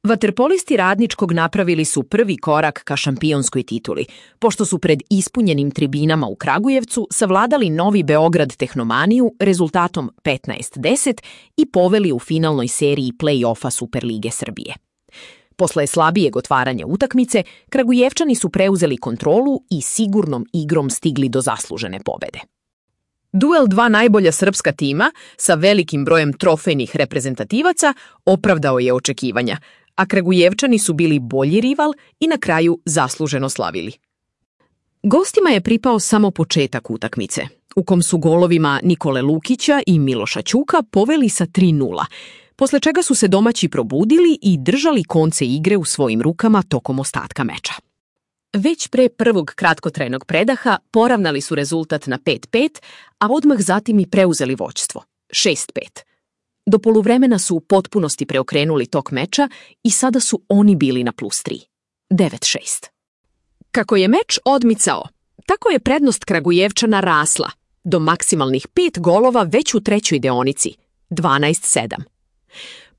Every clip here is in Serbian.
Vaterpolisti Radničkog napravili su prvi korak ka šampionskoj tituli, pošto su pred ispunjenim tribinama u Kragujevcu savladali Novi Beograd Tehnomaniju rezultatom 15-10 i poveli u finalnoj seriji play-offa Superlige Srbije. Posle slabijeg otvaranja utakmice, Kragujevčani su preuzeli kontrolu i sigurnom igrom stigli do zaslužene pobede. Duel dva najbolja srpska tima sa velikim brojem trofejnih reprezentativaca opravdao je očekivanja, a Kragujevčani su bili bolji rival i na kraju zasluženo slavili. Gostima je pripao samo početak utakmice, u kom su golovima Nikole Lukića i Miloša Ćuka poveli sa 3:0, posle čega su se domaći probudili i držali konce igre u svojim rukama tokom ostatka meča. Već pre prvog kratkotrajnog predaha poravnali su rezultat na 5:5, a odmah zatim i preuzeli vođstvo, 6:5. Do poluvremena su u potpunosti preokrenuli tok meča i sada su oni bili na +3, 9:6. Kako je meč odmicao, tako je prednost Kragujevčana rasla, do maksimalnih 5 golova već u trećoj deonici, 12:7.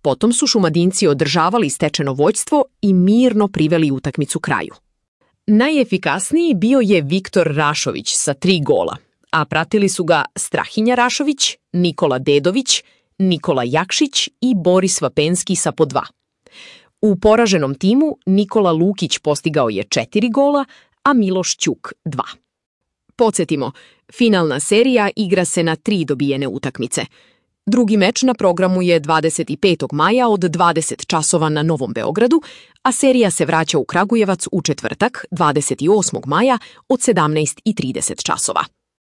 Potom su Šumadinci održavali stečeno vođstvo i mirno priveli utakmicu kraju. Najefikasniji bio je Viktor Rašović sa 3 gola, a pratili su ga Strahinja Rašović, Nikola Dedović, Nikola Jakšić i Boris Vapenski sa po 2. U poraženom timu Nikola Lukić postigao je 4 gola, a Miloš Ćuk 2. Podsjetimo, finalna serija igra se na 3 dobijene utakmice. Drugi meč na programu je 25. maja od 20 časova na Novom Beogradu, a serija se vraća u Kragujevac u četvrtak, 28. maja od 17:30 časova.